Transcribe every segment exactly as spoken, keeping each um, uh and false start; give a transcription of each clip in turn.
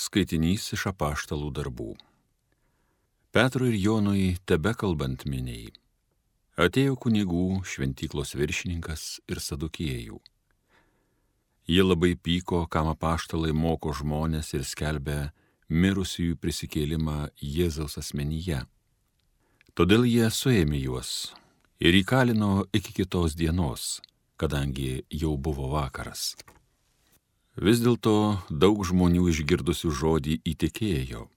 Skaitinys iš apaštalų darbų. Petrui ir Jonui tebekalbant miniai, atėjo kunigų šventyklos viršininkas ir sadukiejų. Jie labai pyko, kam apaštalai moko žmonės ir skelbia mirusiųjų prisikėlimą Jėzaus asmenyje. Todėl jie suėmė juos ir įkalino iki kitos dienos, kadangi jau buvo vakaras. Vis dėlto daug žmonių išgirdusių žodį įtikėjo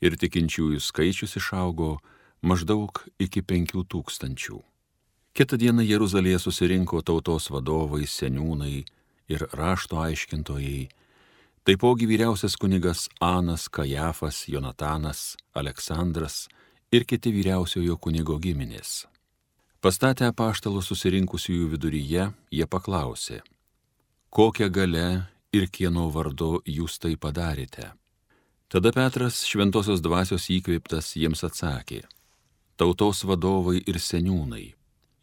ir tikinčiųjų skaičius išaugo maždaug iki penkių tūkstančių. Kitą dieną Jeruzalėje susirinko tautos vadovai, seniūnai ir rašto aiškintojai, taipogi vyriausias kunigas Anas, Kajafas, Jonatanas, Aleksandras ir kiti vyriausiojo kunigo giminės. Pastatę apaštalus susirinkusiųjų viduryje, jie paklausė, kokią galę ir kieno vardu jūs tai padarėte. Tada Petras šventosios dvasios įkvėptas jiems atsakė, tautos vadovai ir seniūnai,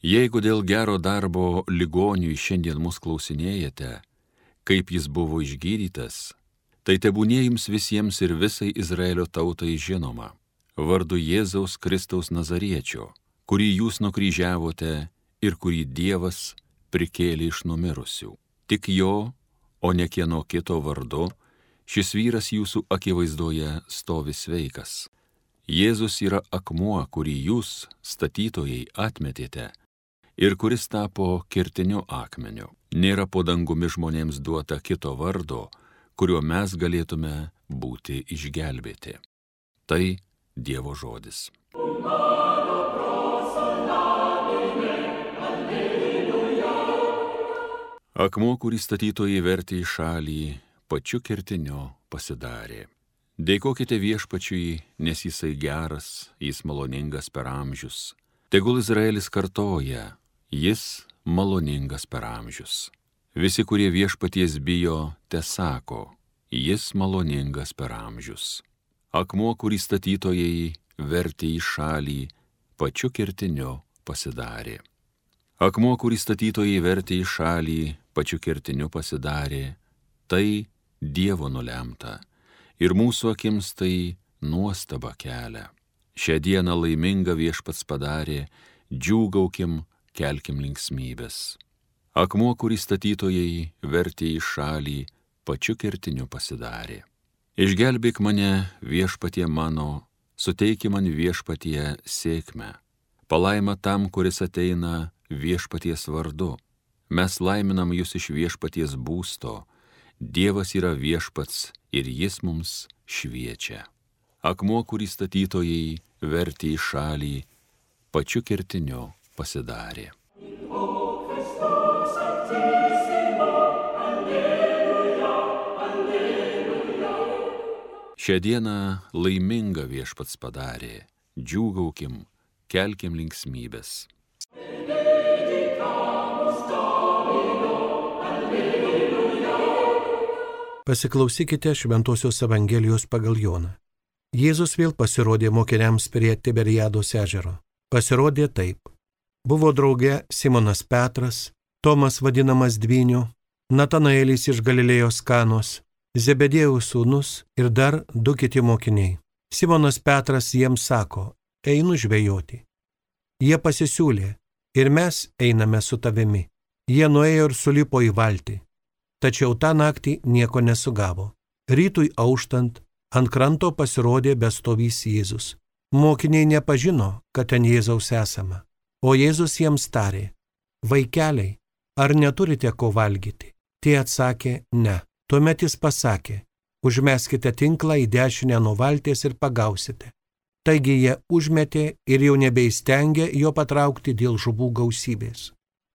jeigu dėl gero darbo ligoniui šiandien mus klausinėjate, kaip jis buvo išgydytas, tai tebūnie jums visiems ir visai Izraelio tautai žinoma, vardu Jėzaus Kristaus Nazariečio, kurį jūs nukryžiavote ir kurį Dievas prikėlė iš numirusių. Tik jo, o ne kieno kito vardu, šis vyras jūsų akivaizdoje stovi sveikas. Jėzus yra akmuo, kurį jūs, statytojai, atmetėte ir kuris tapo kertiniu akmeniu. Nėra po dangumi žmonėms duota kito vardo, kuriuo mes galėtume būti išgelbėti. Tai Dievo žodis. Akmuo, kurį statytojai vertė į šalį, pačiu kertiniu pasidarė. Dėkokite viešpačiui, nes jisai geras, jis maloningas per amžius. Tegul Izraelis kartoja, jis maloningas per amžius. Visi, kurie viešpaties bijo, tesako, jis maloningas per amžius. Akmuo, kurį statytojai vertė į šalį, pačiu kertiniu pasidarė. Akmuo, kurį statytojai vertė į šalį, pačiu kertiniu pasidarė, tai Dievo nulemta, ir mūsų akims tai nuostaba kelia. Šią dieną laimingą viešpats padarė, džiūgaukim, kelkim linksmybės. Akmuo, kurį statytojai vertė į šalį, pačiu kertiniu pasidarė. Išgelbėk mane, viešpatie mano, suteiki man viešpatie sėkmę. Palaima tam, kuris ateina viešpaties vardu. Mes laiminam jūs iš viešpaties būsto. Dievas yra viešpats ir jis mums šviečia. Akmuo, kurį statytojai vertė į šalį, pačiu kertiniu pasidarė. Šią dieną laimingą viešpats padarė, džiūgaukim, kelkim linksmybės. Pasiklausykite Šventosios Evangelijos pagal Joną. Jėzus vėl pasirodė mokiniams prie Tiberiados ežero. Pasirodė taip. Buvo drauge Simonas Petras, Tomas vadinamas Dvyniu, Natanaelis iš Galilėjos Kanos, Zebedėjaus sūnus ir dar du kiti mokiniai. Simonas Petras jiems sako, einu žvejoti. Jie pasisiūlė, ir mes einame su tavimi. Jie nuėjo ir sulipo į valtį. Tačiau tą naktį nieko nesugavo. Rytui auštant, ant kranto pasirodė bestovys Jėzus. Mokiniai nepažino, kad ten Jėzaus esama. O Jėzus jiems tarė, vaikeliai, ar neturite ko valgyti? Tie atsakė, ne. Tuomet jis pasakė, užmeskite tinklą į dešinę nuo valties ir pagausite. Taigi jie užmetė ir jau nebeįstengė jo patraukti dėl žuvų gausybės.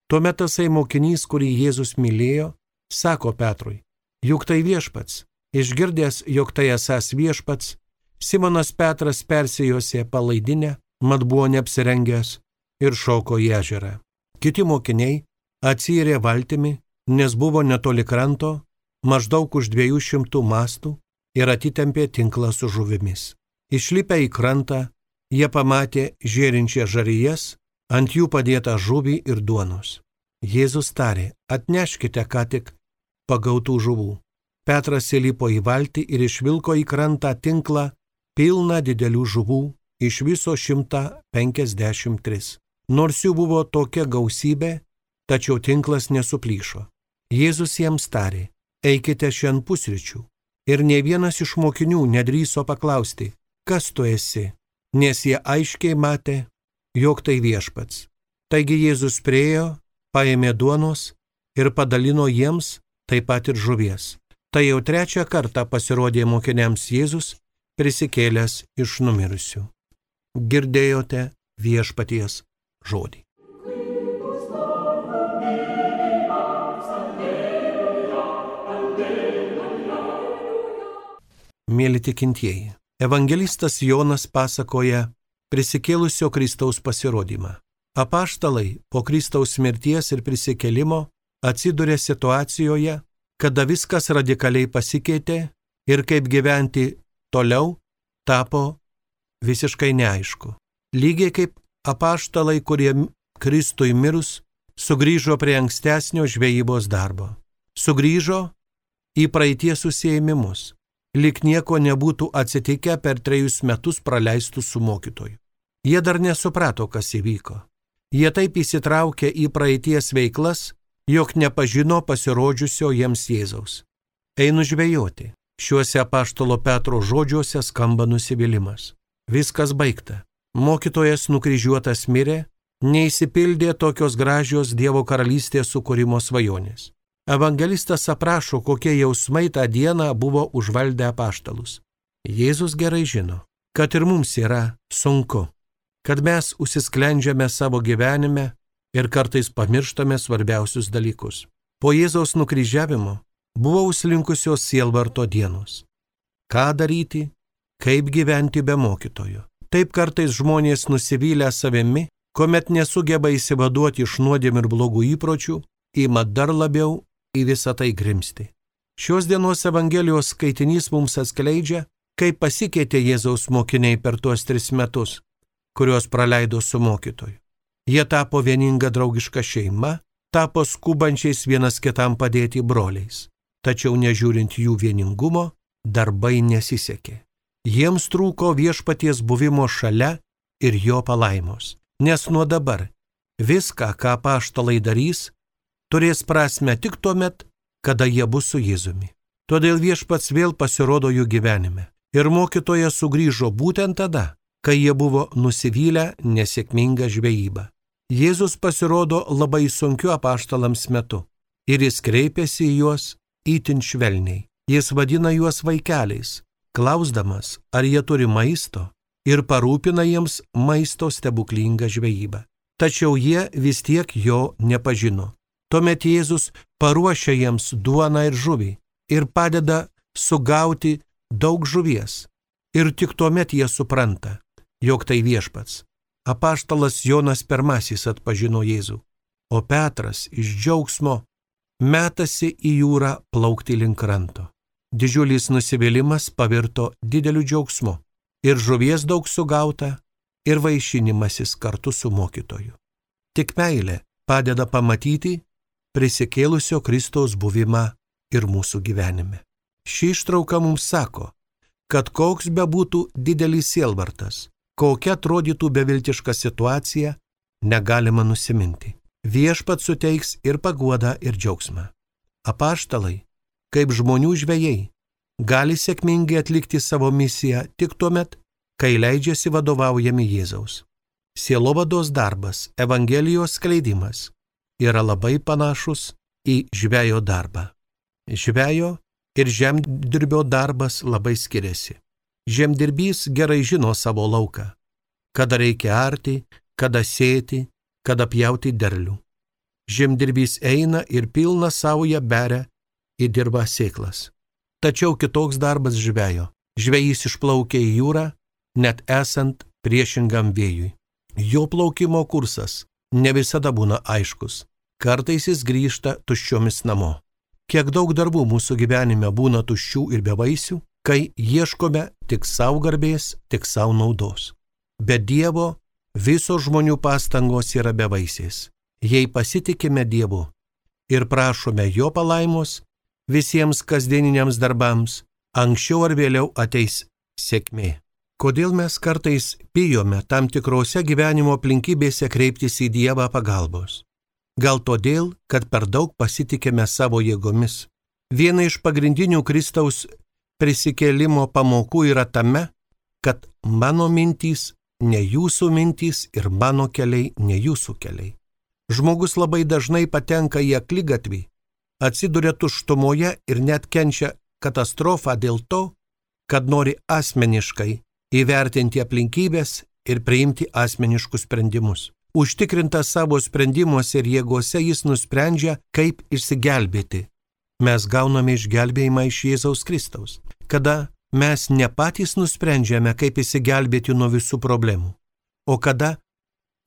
Tuomet tasai mokinys, kurį Jėzus mylėjo, sako Petrui, juk tai viešpats. Išgirdęs, jog tai esąs viešpats, Simonas Petras persijosė palaidinę, mat buvo neapsirengęs, ir šoko į ežerą. Kiti mokiniai atsiyrė valtimi, nes buvo netoli kranto, maždaug už dviejų šimtų mastų, ir atitempė tinklą su žuvimis. Išlipę į krantą, jie pamatė žėrinčią žarijas, ant jų padėtą žuvį ir duonos. Jėzus tarė, atneškite ką tik pagautų žuvų. Petras įlipo į valtį ir išvilko į krantą tinklą pilną didelių žuvų, iš viso šimtą penkiasdešimt tris. Nors jų buvo tokia gausybė, tačiau tinklas nesuplyšo. Jėzus jiems tarė: eikite šiandien pusryčių. Ir nei vienas iš mokinių nedrįso paklausti: kas tu esi, nes jie aiškiai matė, jog tai Viešpats. Taigi Jėzus priėjo, paėmė duonos ir padalino jiems taip pat ir žuvies. Tai jau trečią kartą pasirodė mokiniams Jėzus, prisikėlęs iš numirusių. Girdėjote Viešpaties žodį. Mėly tikintieji, evangelistas Jonas pasakoja prisikėlusio Kristaus pasirodymą. Apaštalai po Kristaus mirties ir prisikėlimo atsiduria situacijoje, kada viskas radikaliai pasikeitė ir kaip gyventi toliau tapo visiškai neaišku. Lygiai kaip apaštalai, kurie Kristui mirus, sugrįžo prie ankstesnio žvejybos darbo. Sugrįžo į praeities užsiėmimus, lyg nieko nebūtų atsitikę per trejus metus praleistus su mokytoju. Jie dar nesuprato, kas įvyko. Jie taip įsitraukė į praeities veiklas, jog nepažino pasirodžiusio jiems Jėzaus. Einu žvejoti. Šiuose apaštalo Petro žodžiuose skamba nusivylimas. Viskas baigta. Mokytojas nukryžiuotas mirė, neįsipildė tokios gražios Dievo karalystės sukūrimo svajonės. Evangelistas aprašo, kokie jausmai tą dieną buvo užvaldę apaštalus. Jėzus gerai žino, kad ir mums yra sunku, kad mes užsisklendžiame savo gyvenime ir kartais pamirštame svarbiausius dalykus. Po Jėzaus nukryžiavimo buvo užslinkusios sielvarto dienos. Ką daryti, kaip gyventi be mokytojo? Taip kartais žmonės nusivylę savimi, kuomet nesugeba įsivaduoti iš nuodėmių ir blogų įpročių, ima dar labiau į visą tai grimsti. Šios dienos Evangelijos skaitinys mums atskleidžia, kaip pasikeitė Jėzaus mokiniai per tuos tris metus, kuriuos praleido su mokytoju. Jie tapo vieninga draugiška šeima, tapo skubančiais vienas kitam padėti broliais. Tačiau nežiūrint jų vieningumo, darbai nesisekė. Jiems trūko Viešpaties buvimo šalia ir jo palaimos. Nes nuo dabar viską, ką apaštalai darys, turės prasmę tik tuomet, kada jie bus su Jėzumi. Todėl Viešpats vėl pasirodo jų gyvenime. Ir mokytojas sugrįžo būtent tada, kai jie buvo nusivylę nesėkmingą žvejybą. Jėzus pasirodo labai sunkiu apaštalams metu. Ir jis kreipėsi į juos itin švelniai. Jis vadina juos vaikeliais, klausdamas, ar jie turi maisto, ir parūpina jiems maisto stebuklingą žvejybą. Tačiau jie vis tiek jo nepažino. Tuomet Jėzus paruošia jiems duoną ir žuvį ir padeda sugauti daug žuvies. Ir tik tuomet jie supranta, jog tai Viešpats. Apaštalas Jonas pirmasis atpažino Jėzų, o Petras iš džiaugsmo metasi į jūrą plaukti link kranto. Didžiulis nusivylimas pavirto dideliu džiaugsmu. Ir žuvies daug sugauta, ir vaišinimasis kartu su mokytoju. Tik meilė padeda pamatyti prisikėlusio Kristaus buvimą ir mūsų gyvenime. Ši ištrauka mums sako, kad koks bebūtų didelis sielvartas, kokia atrodytų beviltiška situacija, negalima nusiminti. Viešpats suteiks ir paguodą, ir džiaugsmą. Apaštalai, kaip žmonių žvejai, gali sėkmingai atlikti savo misiją tik tuomet, kai leidžiasi vadovaujami Jėzaus. Sielovados darbas, Evangelijos skleidimas yra labai panašus į žvejo darbą. Žvejo ir žemdirbio darbas labai skiriasi. Žemdirbys gerai žino savo lauką, kada reikia arti, kada sėti, kada pjauti derlių. Žemdirbys eina ir pilną saują beria į dirvą sėklas. Tačiau kitoks darbas žvejo. Žvejys išplaukia į jūrą, net esant priešingam vėjui. Jo plaukimo kursas ne visada būna aiškus. Kartais jis grįžta tuščiomis namo. Kiek daug darbų mūsų gyvenime būna tuščių ir bevaisių, kai ieškome tik savo garbės, tik savo naudos. Be Dievo visos žmonių pastangos yra bevaisės. Jei pasitikime Dievu ir prašome jo palaimos, visiems kasdieniniams darbams, anksčiau ar vėliau ateis sėkmė. Kodėl mes kartais bijome tam tikrose gyvenimo aplinkybėse kreiptis į Dievą pagalbos? Gal todėl, kad per daug pasitikime savo jėgomis. Viena iš pagrindinių Kristaus prisikėlimo pamokų yra tame, kad mano mintys ne jūsų mintys ir mano keliai ne jūsų keliai. Žmogus labai dažnai patenka į akligatvį, atsiduria tuštumoje ir net kenčia katastrofą dėl to, kad nori asmeniškai įvertinti aplinkybės ir priimti asmeniškus sprendimus. Užtikrintas savo sprendimuose ir jėgose jis nusprendžia, kaip išsigelbėti. Mes gauname išgelbėjimą iš Jėzaus Kristaus, kada mes ne patys nusprendžiame, kaip išsigelbėti nuo visų problemų, o kada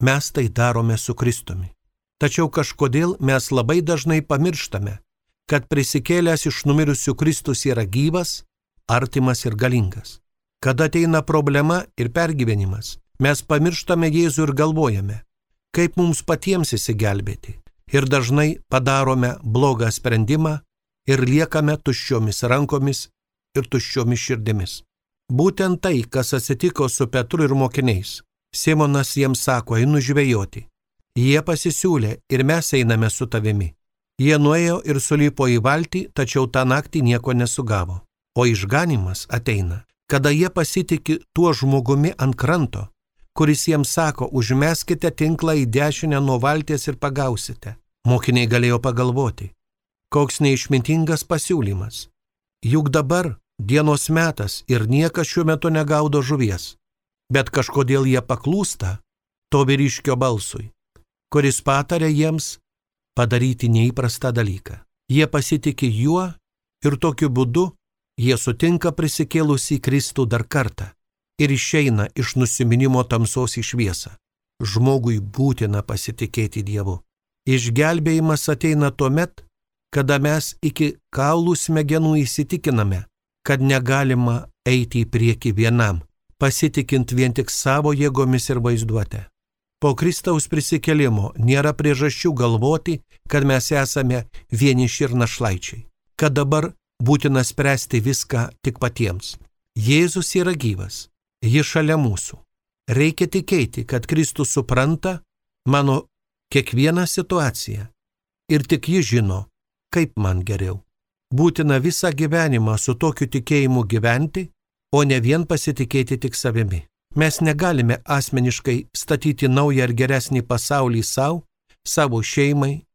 mes tai darome su Kristumi. Tačiau kažkodėl mes labai dažnai pamirštame, kad prisikėlęs iš numirusių Kristus yra gyvas, artimas ir galingas. Kada ateina problema ir pergyvenimas, mes pamirštame Jėzų ir galvojame, kaip mums patiems įsigelbėti. Ir dažnai padarome blogą sprendimą ir liekame tuščiomis rankomis ir tuščiomis širdimis. Būtent tai, kas atsitiko su Petru ir mokiniais. Simonas jiems sako, einu žvejoti. Jie pasisiūlė ir mes einame su tavimi. Jie nuėjo ir sulipo į valtį, tačiau tą naktį nieko nesugavo. O išganimas ateina, kada jie pasitiki tuo žmogumi ant kranto, kuris jiems sako, užmeskite tinklą į dešinę nuo valties ir pagausite. Mokiniai galėjo pagalvoti, koks neišmintingas pasiūlymas. Juk dabar dienos metas ir niekas šiuo metu negaudo žuvies, bet kažkodėl jie paklūsta to vyriškio balsui, kuris patarė jiems padaryti neįprastą dalyką. Jie pasitiki juo ir tokiu būdu jie sutinka prisikėlusį Kristų dar kartą ir išeina iš nusiminimo tamsos į šviesą. Žmogui būtina pasitikėti Dievu. Išgelbėjimas ateina tuomet, kada mes iki kaulų smegenų įsitikiname, kad negalima eiti į priekį vienam, pasitikint vien tik savo jėgomis ir vaizduotę. Po Kristaus prisikėlimo nėra priežasčių galvoti, kad mes esame vieniši ir našlaičiai, kad dabar būtina spręsti viską tik patiems. Jėzus yra gyvas, jis šalia mūsų. Reikia tikėti, kad Kristus supranta mano kiekvieną situaciją ir tik jis žino, kaip man geriau. Būtina visą gyvenimą su tokiu tikėjimu gyventi, o ne vien pasitikėti tik savimi. Mes negalime asmeniškai statyti naują ir geresnį pasaulį savo, savo šeimai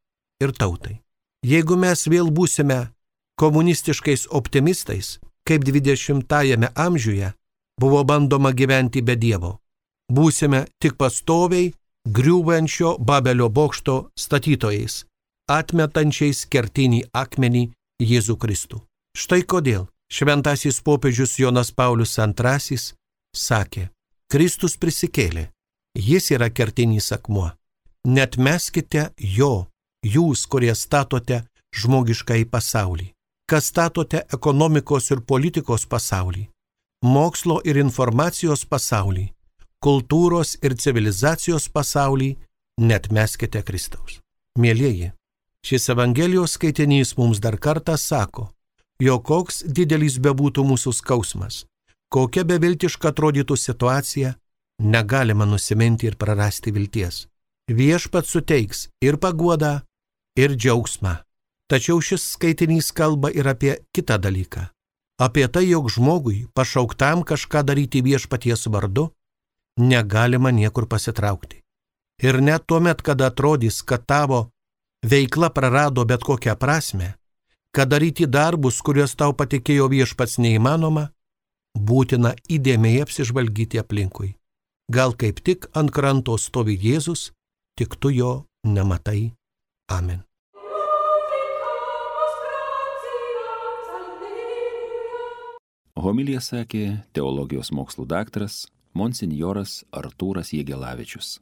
ir tautai. Jeigu mes vėl būsime komunistiškais optimistais, kaip dvidešimtajame amžiuje buvo bandoma gyventi be Dievo, būsime tik pastoviai griūvančio Babelio bokšto statytojais, atmetančiais kertinį akmenį Jėzų Kristų. Štai kodėl šventasis popiežius Jonas Paulius antrasis sakė, Kristus prisikėlė, jis yra kertinis akmuo. Neatmeskite jo, jūs, kurie statote žmogiškąjį pasaulį, kas statote ekonomikos ir politikos pasaulį, mokslo ir informacijos pasaulį, kultūros ir civilizacijos pasaulį, neatmeskite Kristaus. Mielieji, šis Evangelijos skaitinys mums dar kartą sako, jog koks didelis bebūtų mūsų skausmas, kokia beviltiška atrodytų situacija, negalima nusiminti ir prarasti vilties. Viešpats suteiks ir paguodą, ir džiaugsmą. Tačiau šis skaitinys kalba ir apie kitą dalyką. Apie tai, jog žmogui, pašauktam kažką daryti viešpaties vardu, negalima niekur pasitraukti. Ir net tuomet, kada atrodys, kad tavo veikla prarado bet kokią prasmę, kad daryti darbus, kuriuos tau patikėjo viešpats neįmanoma, būtina įdėmiai apsižvalgyti aplinkui. Gal kaip tik ant kranto stovi Jėzus, tik tu jo nematai. Amen. Homiliją sakė teologijos mokslų daktaras monsinjoras Artūras Jegelavičius.